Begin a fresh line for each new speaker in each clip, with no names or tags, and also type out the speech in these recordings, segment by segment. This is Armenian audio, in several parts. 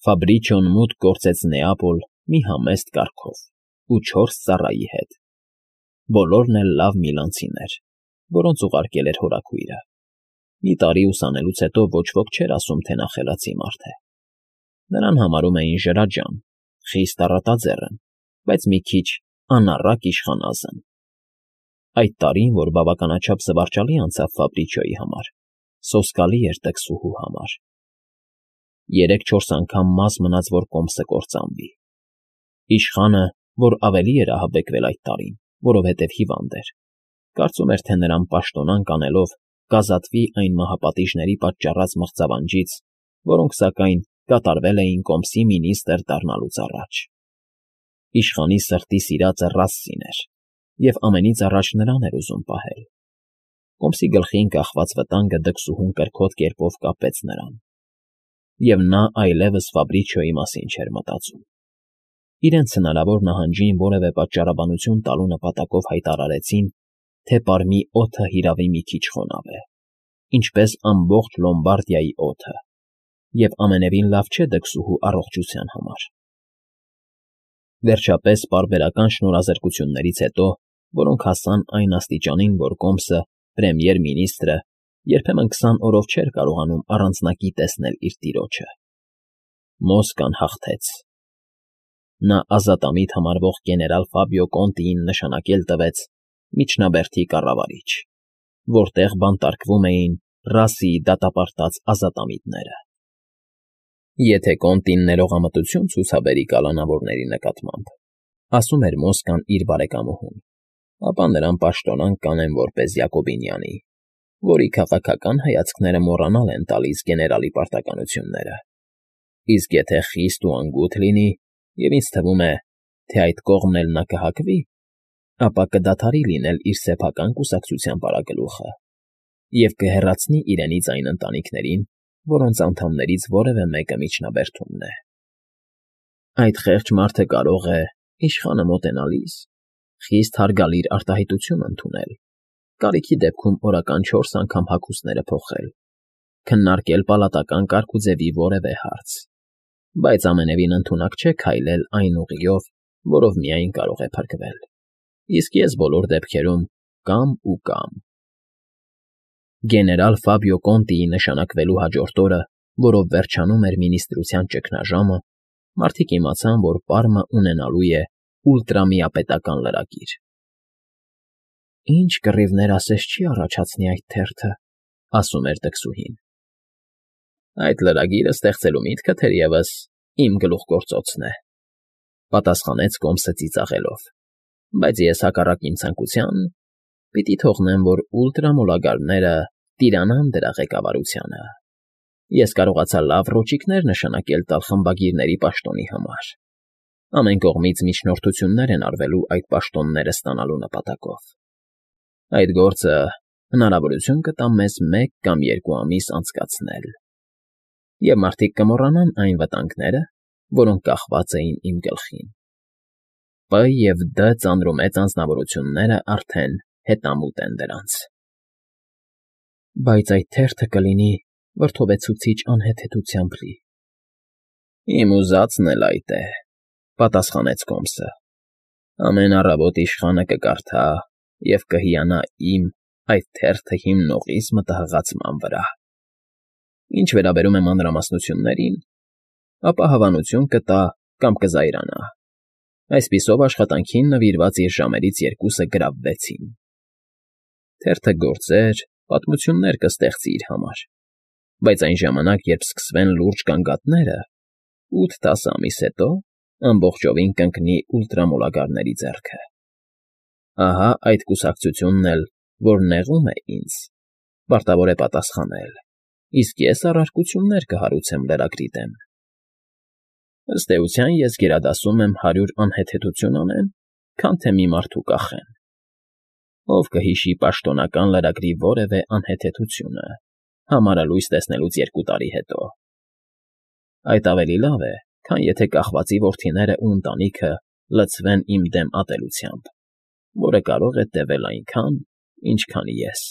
Ֆաբրիչոն մուտք գործեց Նեապոլ մի համեստ կառքով ու 4 ծառայի հետ, բոլորն էլ լավ միլանցիներ, որոնց ուղարկել էր հորաքույրը. մի տարի ուսանելուց հետո ոչ ոք չէր ասում, թե նա խելացի մարդ է. նրան համարում էին ջրաջան, խիստ առատաձեռն, բայց մի քիչ անառակ իշխանազն։ Այդ տարին, որ բավականաչափ զվարճալի անցավ Ֆաբրիչոյի համար, սոսկալի էր տքսուհու համար. 3-4 անգամ մաս մնաց, որ կոմսը կործանվի։ Իշխանը, որ ավելի էր ահաբեկվել այդ տարին, որովհետև հիվանդ էր, կարծում էր, թե նրան պաշտոնանկ անելով կազատվի այն մահապատիժների պատճառած մղձավանջից, որոնք, սակայն, կատարվել էին կոմսի մինիստր դառնալուց առաջ։ Իշխանի սրտի սիրածը Ռասսին էր, և ամենից առաջ նրան էր ուզում պահել։ Կոմսի գլխին կախված վտանգը դքսուհուն կրքոտ կերպով կապեց նրան, և նա այլևս Ֆաբրիչոյի մասին չէր մտածում։ Իրենց հնարավոր նահանջին որևէ պատճառաբանություն տալու նպատակով հայտարարեցին, թե պարմի օդը հիրավի մի քիչ խոնավ է, ինչպես ամբողջ Լոմբարդիայի օդը, և ամենևին լավ չէ դքսուհու առողջության համար։ Վերջապես, պարբերական շնորհազրկություններից հետո, որոնք հասան այն աստիճանին, որ կոմսը, պրեմիեր֊մինիստրը, երբեմն 20 օրով չէր կարողանում առանձնակի տեսնել իր տիրոջը, Մոսկան հաղթեց։ Նա ազատամիտ համարվող գեներալ Ֆաբիո Կոնտիին նշանակել տվեց միջնաբերդի կառավարիչ, որտեղ բանտարկվում էին Ռասսիի դատապարտած ազատամիտները։ Եթե Կոնտին ներողամտություն ցուցաբերի կալանավորների նկատմամբ, ասում էր Մոսկան իր բարեկամուհուն, ապա նրան պաշտոնանկ կանեն որպես Յակոբինյանի, որի քաղաքական հայացքները մոռանալ են տալիս գեներալի պարտականությունները։ Իսկ եթե խիստ ու անգութ լինի, և ինձ թվում է, թե այդ կողմն էլ նա կհակվի, ապա կդադարի լինել իր սեփական կուսակցության պարագլուխը և կհեռացնի իրենից այն ընտանիքներին, որոնց անդամներից որևէ մեկը միջնաբերդումն է։ Այդ խեղճ մարդը կարող է, իշխանը մոտենալիս, խիստ հարգալիր արտահայտություն ընդունել, կարիքի դեպքում օրական 4 անգամ հագուստները փոխել, քննարկել պալատական կարգուձևի որևէ հարց, բայց ամենևին ընդունակ չէ քայլել այն ուղիով, որով միայն կարող է փրկվել, իսկ ես բոլոր դեպքերում կամ ու կամ։ Գեներալ Ֆաբիո Կոնտիի նշանակվելու հաջորդ օրը, որով վերջանում էր մինիստրության ճգնաժամը, մարդիկ իմացան, որ Պարմը ունենալու է ուլտրամիապետական լրագիր։ «Ինչ կռիվներ ասես չի առաջացնի այդ թերթը», ասում էր դքսուհին։ «Այդ լրագիրը ստեղծելու միտքը, թերևս, իմ գլուխգործոցն է», պատասխանեց կոմսը ծիծաղելով, բայց ես հակառակ իմ ցանկության պիտի թողնեմ, որ ուլտրամոլագարները տիրանան դրա ղեկավարությանը։ Ես կարողացա լավ ռոճիկներ նշանակել տալ խմբագիրների պաշտոնի համար։ Ամեն կողմից միջնորդություններ են արվելու այդ պաշտոնները ստանալու նպատակով։ Այդ գործը հնարավորություն կտա մեզ 1 կամ 2 ամիս անցկացնել, և մարդիկ կմոռանան այն վտանգները, որոնք կախված էին իմ գլխին։ П և Դ ծանրումեծ անձնավորությունները արդեն հետամուտ են դրանց։ Բայց այդ թերթը կլինի վրդովեցուցիչ անհեթեթությամբ լի։ Իմ ուզածն էլ այդ է, պատասխանեց կոմսը։ Ամեն առավոտ իշխանը կկարդա և կհիանա իմ այդ թերթը հիմնողիս մտահղացման վրա։ Ինչ վերաբերում է մանրամասնություններին, ապա հավանություն կտա կամ կզայրանա։ Այսպիսով աշխատանքին նվիրված իր ժամերից 2-ը գրավվեցին։ Թերթը գործեր, պատմություններ կստեղծի իր համար, բայց այն ժամանակ, երբ սկսվեն լուրջ գանգատները, 8-10 ամիս հետո ամբողջովին կընկնի ուլտրամոլագարների ձեռքը։ Ահա այդ կուսակցությունն էլ, որ նեղում է ինձ, պարտավոր է պատասխանել, իսկ ես առարկություններ կհարուցեմ լրագրի դեմ։ Ըստ էության, ես գերադասում եմ 100 անհեթեթություն անեն, քան թե մի մարդու կախեն։ Ով կհիշի պաշտոնական լրագրի որևէ անհեթեթությունը, համարալույս տեսնելուց 2 տարի հետո։ Այդ ավելի լավ է, քան եթե կախվածի որդիները ու ընտանիքը լցվեն իմ դեմ ատելությամբ, որը կարող է տևել այնքան, ինչքան ես,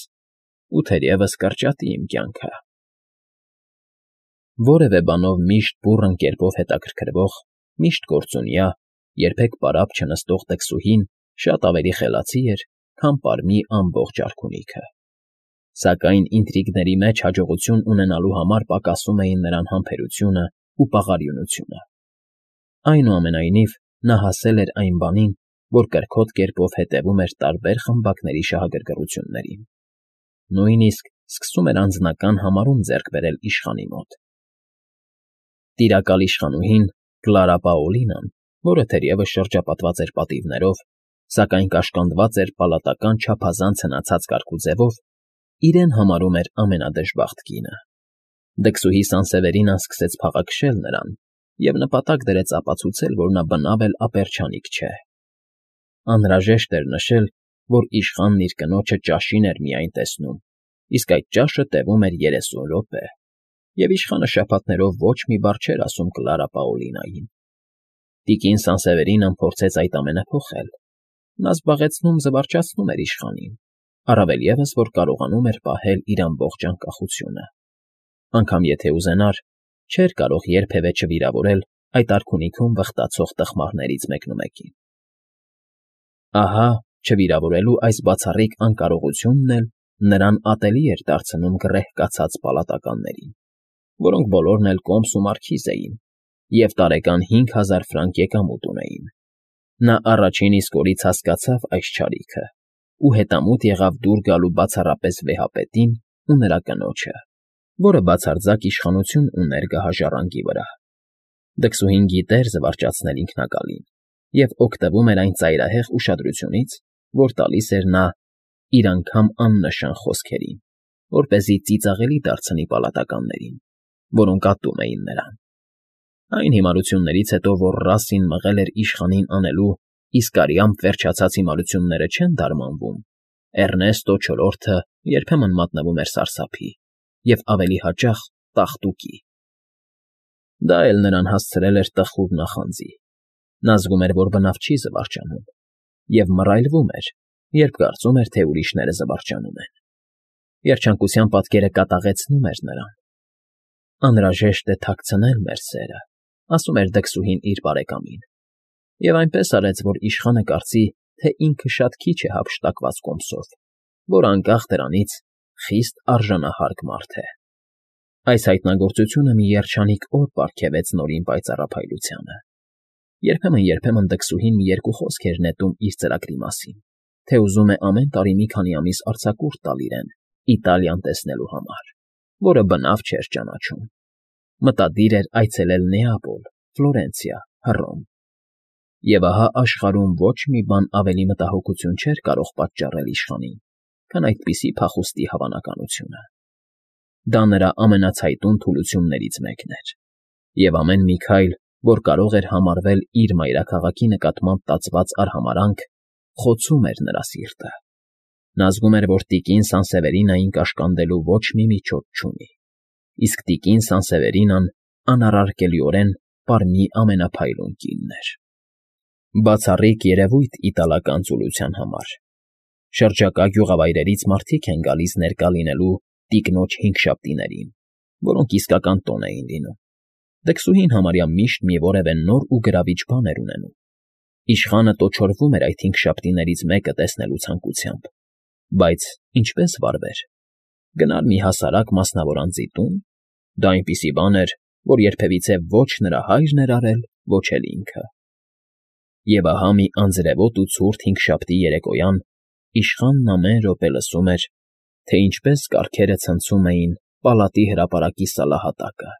ու թերևս կրճատի իմ կյանքը։ Որևէ բանով միշտ բուռն կերպով հետաքրքրվող, միշտ գործունյա, երբեք պարապ չնստող դքսուհին շատ ավելի խելացի էր, քան պարմի ամբողջ արքունիքը։ Սակայն ինտրիգների մեջ հաջողություն ունենալու համար պակասում էին նրան համբերությունը ու պաղարիունությունը։ Այնուամենայնիվ, նա հասել էր այն բանին, որ կրքոտ կերպով հետևում էր տարբեր խմբակների շահագրգռություններին։ Նույնիսկ սկսում էր անձնական համարում ձեռք բերել իշխանի մոտ։ Տիրակալ իշխանուհին Կլարա Պաոլինան, որը թերևս շրջապատված էր պատիվներով, սակայն կաշկանդված էր պալատական չափազանց հնացած կարգուձևով, իրեն համարում էր ամենադժբախտ կինը։ Դքսուհի Սանսևերինան սկսեց փաղաքշել նրան և նպատակ դրեց ապացուցել, որ նա բնավ էլ ապերչանիկ չէ։ Անհրաժեշտ էր նշել, որ իշխանն իր կնոջը ճաշին էր միայն տեսնում, իսկ այդ ճաշը տևում էր 30 րոպե, և իշխանը շաբաթներով ոչ մի բառ չէր ասում Կլարա Պաոլինային։ Տիկին Սանսևերինան փորձեց այդ ամենը փոխել։ Նա զբաղեցնում զվարճացնում էր իշխանին, առավել ևս, որ կարողանում էր պահել իր ամբողջ անկախությունը։ Անգամ եթե ուզենար, չէր կարող երբևէ չվիրավորել այդ արքունիքում վխտացող տխմարներից մեկնումեկին։ Ահա, չվիրավորելու այս բացառիկ անկարողությունն էլ նրան ատելի էր դարձնում գռեհկացած պալատականներին, որոնք բոլորն էլ կոմս ու մարքիզ էին և տարեկան 5000 ֆրանկ եկամուտ ունեին։ Նա առաջին իսկ օրից հասկացավ այս չարիքը ու հետամուտ եղավ դուր գալու բացառապես վեհապետին ու նրա կնոջը, որը բացարձակ իշխանություն ուներ գահաժառանգի վրա։ Դքսուհին գիտեր զվարճացնել ինքնակալին և օգտվում էր այն ծայրահեղ ուշադրությունից, որ տալիս էր նա իր անգամ աննշան խոսքերին, որպեսզի ծիծաղելի դարձնի պալատականներին, որոնք ատում էին նրան։ Այն հիմարություններից հետո, որ Ռասսին մղել էր իշխանին անելու, իսկ արյամբ վերջացած հիմարությունները չեն դարմանվում, Էռնեստո չորրորդը երբեմն մատնվում էր սարսափի և ավելի հաճախ տաղտուկի։ Դա էլ նրան հասցրել էր տխուր նախանձի։ Նա զգում էր, որ բնավ չի զվարճանում, և մռայլվում էր, երբ կարծում էր, թե ուրիշները զվարճանում են։ Երջանկության պատկերը կատաղեցնում էր նրան։ Անհրաժեշտ է թաքցնել մեր սերը, ասում էր դքսուհին իր բարեկամին, և այնպես արեց, որ իշխանը կարծի, թե ինքը շատ քիչ է հափշտակված կոմսով, որ անկախ դրանից խիստ արժանահարկ մարդ է։ Այս հայտնագործությունը մի երջանիկ օր պարգևեց Նորին պայծառափայլությանը։ Երբեմն դքսուհին մի երկու խոսք էր նետում իր ծրագրի մասին, թե ուզում է ամեն տարի մի քանի ամիս արձակուրդ տալ իրեն Իտալիան տեսնելու համար, որը բնավ չէր ճանաչում։ Մտադիր էր այցելել Նեապոլ, Ֆլորենցիա, Հռոմ։ Եվ ահա աշխարհում ոչ մի բան ավելի մտահոգություն չէր կարող պատճառել իշխանին, քան այդպիսի փախուստի հավանականությունը։ Դա նրա ամենացայտուն թուլություններից մեկն էր, և ամեն մի քայլ, որ կարող էր համարվել իր մայրաքաղաքի նկատմամբ տածված արհամարհանք, խոցում էր նրա սիրտը։ Նա զգում էր, որ տիկին Սանսևերինային կաշկանդելու ոչ մի միջոց չունի, իսկ տիկին Սանսևերինան անառարկելիորեն պարմի ամենափայլուն կինն էր։ Բացառիկ երևույթ իտալական ծուլության համար։ Շրջակա գյուղավայրերից մարդիկ են գալիս ներկա լինելու տիկնոջ հինգշաբթիներին, որոնք իսկական տոն էին լինում։ Դքսուհին համարյա միշտ մի որևէ նոր ու գրավիչ բան էր ունենում։ Իշխանը տոչորվում էր այդ հինգշաբթիներից մեկը տեսնելու ցանկությամբ, բայց ինչպես վարվեր։ Գնալ մի հասարակ մասնավոր անձի տուն։ Դա այնպիսի բան էր, որ երբևիցե ոչ նրա հայրն էր արել, ոչ էլ ինքը։ Եվ ահա մի անձրևոտ ու ցուրտ հինգշաբթի երեկոյան իշխանն ամեն րոպե լսում էր, թե ինչպես կառքերը ցնցում էին պալատի հրապարակի սալահատակը,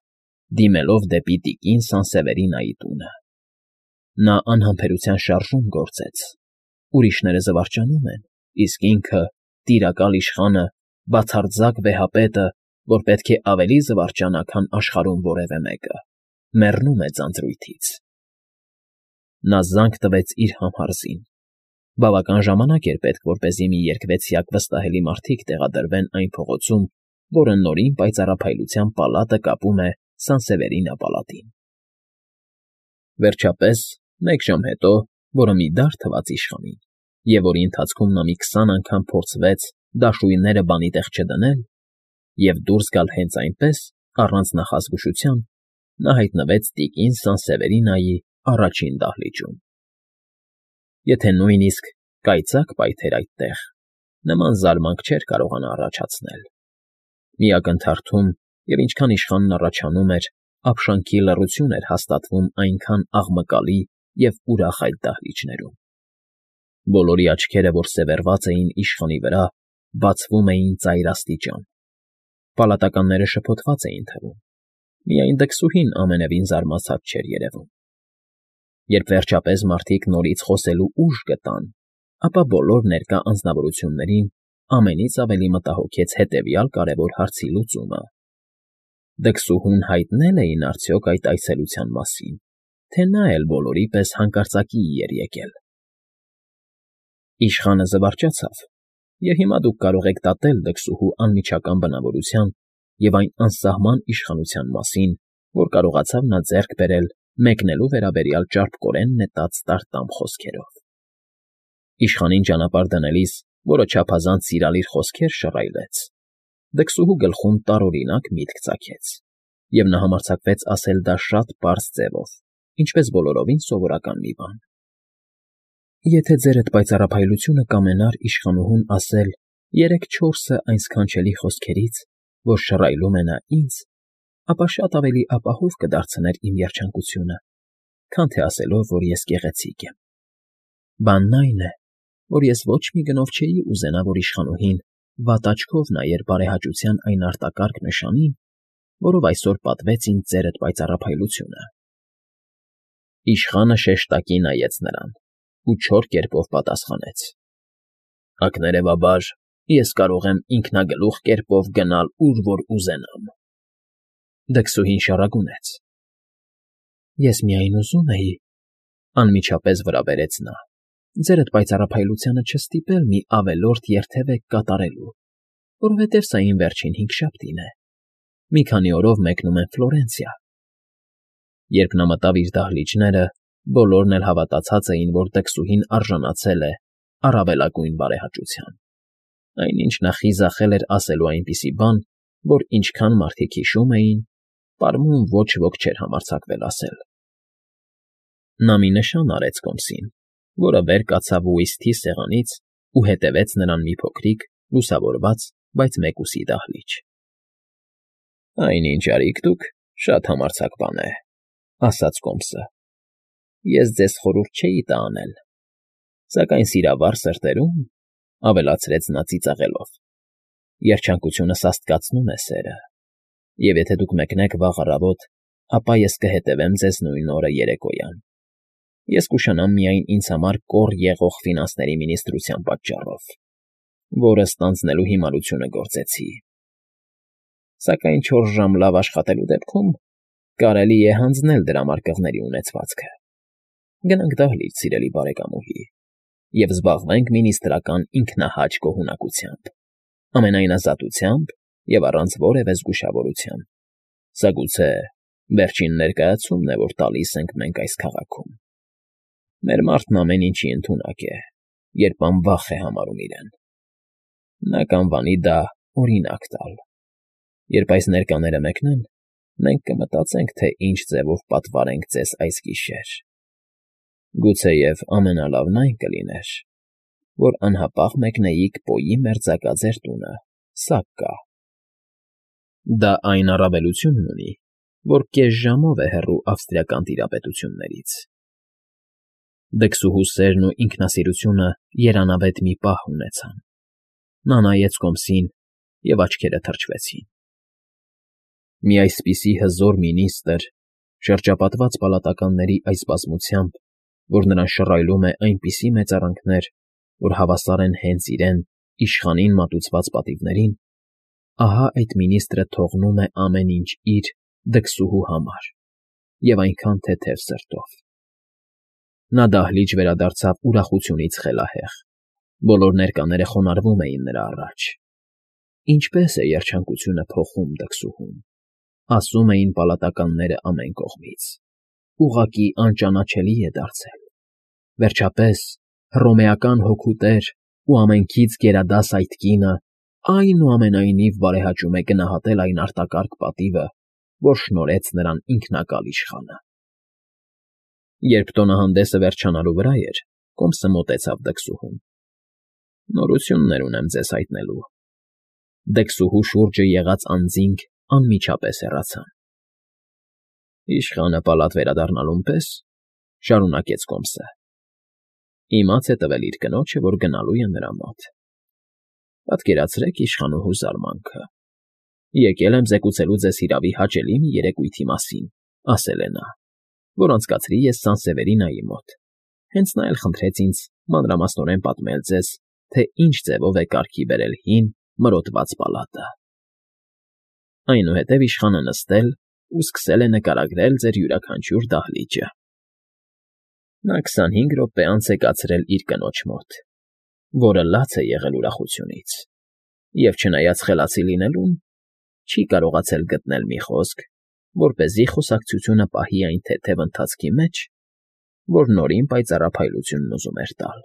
դիմելով դեպի տիկին Սանսևերինայի տունը։ Նա անհամբերության շարժում գործեց։ Ուրիշները զվարճանում են, իսկ ինքը, տիրակալ իշխանը, բացարձակ վեհապետը, որ պետք է ավելի զվարճանա, քան աշխարհում որևէ մեկը, մեռնում է ձանձրույթից։ Նա զանգ տվեց իր համհարզին։ Բավական ժամանակ էր պետք, որպեսզի մի երկվեցյակ վստահելի մարդիկ տեղադրվեն այն փողոցում, որը Նորին պայծառափայլության պալատը կապում է Սանսևերինա պալատին։ Վերջապես, մեկ ժամ հետո, որը մի դար թվաց իշխանին, և որի ընթացքում նա մի 20 անգամ փորձվեց դաշույնները բանի տեղ չդնել և դուրս գալ հենց այնպես, Առանց նախազգուշության նա հայտնվեց տիկին Սանսևերինիայի առաջին դահլիճում։ Եթե նույնիսկ կայծակ պայթեր այդտեղ, նման զարմանք չէր կարողանա առաջացնել։ Մի ակնթարթում, և ինչքան իշխանն առաջանում էր, ապշանքի լռություն էր հաստատվում այնքան աղմկալի և ուրախ այդ դահլիճներում։ Բոլորի աչքերը, որ սևեռված էին իշխանի վրա, բացվում էին ծայրաստիճան։ Պալատականները շփոթված էին թվում։ Միայն դքսուհին ամենևին զարմացած չէր երևում։ Երբ վերջապես մարդիկ նորից խոսելու ուժ գտան, ապա բոլոր ներկա անձնավորություններին ամենից ավելի մտահոգեց հետևյալ կարևոր հարցի լուծումը. դքսուհուն հայտնել էին արդյոք այդ այցելության մասին, թե նա էլ բոլորի պես հանկարծակիի էր եկել։ Իշխանը զվարճացավ, և հիմա դուք կարող եք դատել դքսուհու անմիջական բնավորության և այն անսահման իշխանության մասին, որ կարողացավ նա ձեռք բերել մեկնելու վերաբերյալ ճարպկորեն նետած տարտամ խոսքերով։ Իշխանին ճանապարհ դնելիս, որը չափազանց սիրալիր խոսքեր շռայլեց, դքսուհու գլխում տարօրինակ միտք ծագեց, և նա համարձակվեց ասել դա շատ պարզ ձևով, ինչպես բոլորովին սովորական մի բան. «Եթե ձերդ պայծառափայլությունը կամենար իշխանուհուն ասել 3-4 այն սքանչելի խոսքերից, որ շռայլում է նա ինձ, ապա շատ ավելի ապահով կդարձներ իմ երջանկությունը, քան թե ասելով, որ ես գեղեցիկ եմ։ Բանն այն է, որ ես ոչ մի գնով չէի ուզենա, որ իշխանուհին վատ աչքով նայեր բարեհաճության այն արտակարգ նշանին, որով այսօր պատվեց ինձ ձերդ պայծառափայլությունը»։ Իշխանը շեշտակի նայեց նրան ու չոր կերպով պատասխանեց. «Ակներևաբար ես կարող եմ ինքնագլուխ կերպով գնալ, ուր որ ուզենամ»։ Դքսուհին շառագունեց. «Ես միայն ուզում էի,֊ անմիջապես վրա բերեց նա,֊ ձերդ պայծառափայլությանը չստիպել մի ավելորդ երթևեք կատարելու, որովհետև սա իմ վերջին հինգշաբթին է. մի քանի օրով մեկնում եմ Ֆլորենցիա»։ Երբ նա մտավ իր դահլիճները, բոլորն էլ հավատացած էին, որ դքսուհին արժանացել է առավելագույն բարեհաճության։ Այնինչ նա խիզախել էր ասելու այնպիսի բան, որ ինչքան մարդիկ հիշում էին, պարմուն ոչ ոք չէր համարձակվել ասել։ Նա մի նշան արեց կոմսին, որը վեր կացավ ուիսթի սեղանից ու հետևեց նրան մի փոքրիկ, լուսավորված, բայց մեկուսի դահլիճ։ «Այն, ինչ արիք դուք, շատ համարձակ բան է,֊ ասաց կոմսը։ Ես ձեզ խորհուրդ չէի տա անել, սակայն սիրավառ սրտերում,֊ ավելացրեց նա ծիծաղելով,֊ երջանկությունը սաստկացնում է սերը, և եթե դուք մեկնեք վաղ առավոտ, ապա ես կհետևեմ ձեզ նույն օրը երեկոյան։ Ես կուշանամ միայն ինձ համար կոր եղող ֆինանսների մինիստրության պատճառով, որը ստանձնելու հիմարությունը գործեցի։ Սակայն 4 ժամ լավ աշխատելու դեպքում կարելի է հանձնել դրամարկղների ունեցվածքը։ Գնանք դահլիճ, սիրելի բարեկամուհի, և զբաղվենք մինիստրական ինքնահաճ գոհունակությամբ, ամենայնազատությամբ և առանց որևէ զգուշավորության։ Սա գուցե վերջին ներկայացումն է, որ տալիս ենք մենք այս քաղաքում։ Մեր մարդն ամեն ինչի ընդունակ է, երբ անվախ է համարում իրեն։ Նա կանվանի դա օրինակ տալ։ Երբ այս ներկաները մեկնեն, մենք կմտածենք, թե ինչ ձևով պատվարենք ձեզ այս գիշեր։ Գուցեև ամենալավն այն կլիներ, որ անհապաղ մեկնեիք Պոյի մերձակա ձեր տունը, սա կա։ Դա այն առավելությունն ունի, որ կես ժամով է հեռու ավստրիական տիրապետություններից։ Դքսուհու սերն ու ինքնասիրությունը երանավետ մի պահ ունեցան։ Նա նայեց կոմսին, և աչքերը թրջվեցին։ Մի այսպիսի հզոր մինիստրը, շրջապատված պալատականների այս բազմությամբ, որ նրան շռայլում է այնպիսի մեծարանքներ, որ հավասար են հենց իրեն՝ իշխանին մատուցված պատիվներին, ահա այդ մինիստրը թողնում է ամեն ինչ իր՝ դքսուհու համար, և այնքան թեթև սրտով։ Նա դահլիճ վերադարձավ ուրախությունից խելահեղ, բոլոր ներկաները խոնարհվում էին նրա առաջ։ Ինչպե՜ս է երջանկությունը փոխում դքսուհուն, ասում էին պալատականները ամեն կողմից, ուղղակի անճանաչելի է դարձել։ Վերջապես, հռոմեական հոգու տեր ու ամենքից գերադաս այդ կինը այնուամենայնիվ բարեհաճում է գնահատել այն արտակարգ պատիվը, որ շնորհեց նրան ինքնակալ իշխանը։ Երբ տոնահանդեսը վերջանալու վրա էր, Կոմսը մոտեցավ դքսուհուն։ ֊ Նորություններ ունեմ ձեզ հայտնելու։ Դքսուհու շուրջը եղած անձինք անմիջապես հեռացան։ ֊ Իշխանը պալատ վերադառնալուն պես,֊ շարունակեց Կոմսը,֊ իմաց է տվել իր կնոջը, որ գնալու է նրա մոտ։ Պատկերացրեք իշխանուհու զարմանքը։ Եկել եմ զեկուցելու ձեզ հիրավի հաճելի մի երեկույթի մասին, ասել է նա, որ անցկացրի ես Սանսևերինայի մոտ։ Հենց նա էլ խնդրեց ինձ մանրամասնորեն պատմել ձեզ, թե ինչ ձևով է կարգի բերել հին, մրոտված պալատը։ Այնուհետև իշխանը նստել ու սկսել է նկարագրել ձեր յուրաքանչյուր դահլիճը։ Նա 25 րոպե անց է կացրել իր կնոջ մոտ, որը լաց է եղել ուրախությունից, և չնայած խելացի լինելուն, չի կարողացել գտնել մի խոսք, որպեսզի խոսակցությունը պահի այն թեթև ընթացքի մեջ, որ նորին պայծառափայլությունն ուզում էր տալ։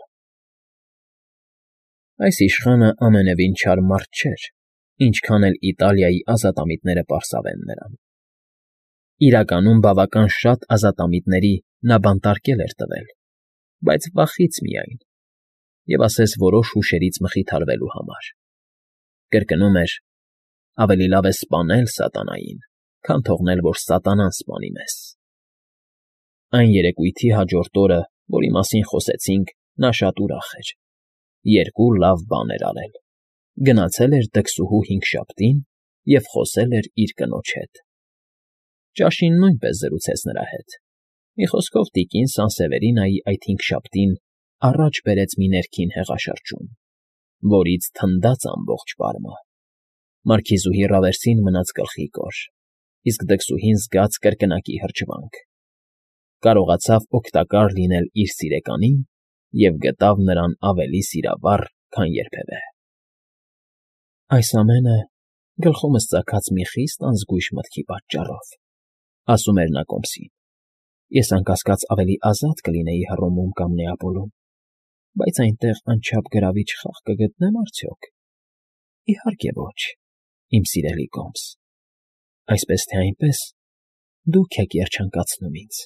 Այս իշխանը ամենևին չար մարդ չէր, ինչքան էլ Իտալիայի ազատամիտները պարսավեն նրան։ Իրականում բավական շատ ազատամիտների նա բանտարկել էր տվել, բայց վախից միայն, և ասես որոշ հուշերից մխիթարվելու համար։ Կրկնում էր. ավելի լավ է սպանել սատանային, քան թողնել, որ սատանան սպանի մեզ։ Այն երեկույթի հաջորդ օրը, որի մասին խոսեցինք, նա շատ ուրախ էր։ Երկու լավ բան էր արել. գնացել էր դքսուհու հինգշաբթին և խոսել էր իր կնոջ հետ։ Ճաշին նույնպես զրուցեց նրա հետ։ Մի խոսքով տիկին Սանսևերինայի այդ հինգշաբթին առաջ բերեց մի ներքին հեղաշրջում, որից թնդաց ամբողջ պարմը։ Մարքիզուհի Ռավերսին մնաց գլխի կոր, իսկ դքսուհին զգաց կրկնակի հրճվանք։ Կարողացավ օգտակար լինել իր սիրեկանին և գտավ նրան ավելի սիրավառ, քան երբևէ։ «Այս ամենը գլխումս ծագած մի խիստ անզգույշ մտքի պատճառով,֊ ասում էր նա Կոմսին,֊ ես անկասկած ավելի ազատ կլինեի Հռոմում կամ Նեապոլում, բայց այնտեղ անչափ գրավիչ խաղ կգտնե՞մ արդյոք։ Իհարկե ոչ, իմ սիրելի Կոմս, այսպես թե այնպես դուք եք երջանկացնում ինձ։